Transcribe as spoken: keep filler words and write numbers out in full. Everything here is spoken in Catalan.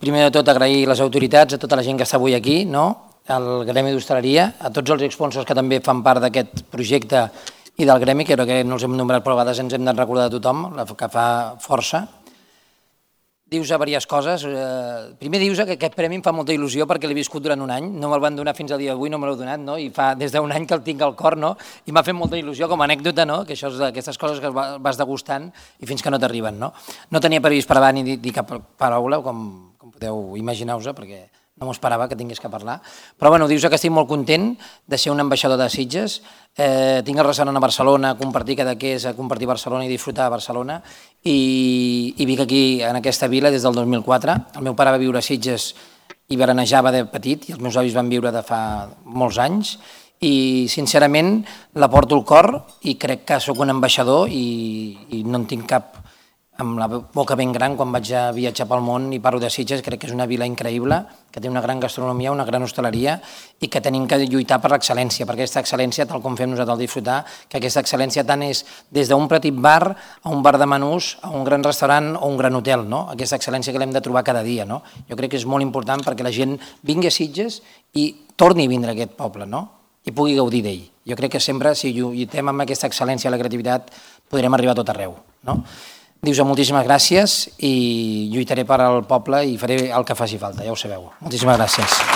primer de tot agrair les autoritats, a tota la gent que està avui aquí, al Gremi d'Hostaleria, a tots els sponsors que també fan part d'aquest projecte i del Gremi, que crec que no els hem nombrat, però a vegades ens hem de recordar de tothom, que fa força. Dius a diverses coses. Primer dius que aquest premi em fa molta il·lusió perquè l'he viscut durant un any, no me'l van donar fins al dia d'avui, no me l'heu donat, i fa des d'un any que el tinc al cor, i m'ha fet molta il·lusió com a anècdota, que això és d'aquestes coses que vas degustant i fins que no t'arriben. No tenia previst parlar ni dir cap paraula, com podeu imaginar-vos, perquè no m'ho esperava que tingués que parlar, però bueno, dius que estic molt content de ser un ambaixador de Sitges, tinc el restaurant a Barcelona, compartir cada què és compartir Barcelona i disfrutar de Barcelona, i vic aquí en aquesta vila des del dos mil quatre. El meu pare va viure a Sitges i veranejava de petit, i els meus avis van viure de fa molts anys, i sincerament la porto al cor i crec que sóc un ambaixador i no en tinc cap amb la boca ben gran quan vaig a viatjar pel món i parlo de Sitges. Crec que és una vila increïble, que té una gran gastronomia, una gran hostaleria i que tenim que lluitar per l'excel·lència, per aquesta excel·lència, tal com fem nosaltres al disfrutar, que aquesta excel·lència tant és des d'un petit bar a un bar de menús, a un gran restaurant o un gran hotel, aquesta excel·lència que l'hem de trobar cada dia. Jo crec que és molt important perquè la gent vingui a Sitges i torni a vindre a aquest poble i pugui gaudir d'ell. Jo crec que sempre, si lluitem amb aquesta excel·lència i la creativitat, podrem arribar a tot arreu. Dius moltíssimes gràcies i lluitaré per al poble i faré el que faci falta, ja ho sabeu. Moltíssimes gràcies.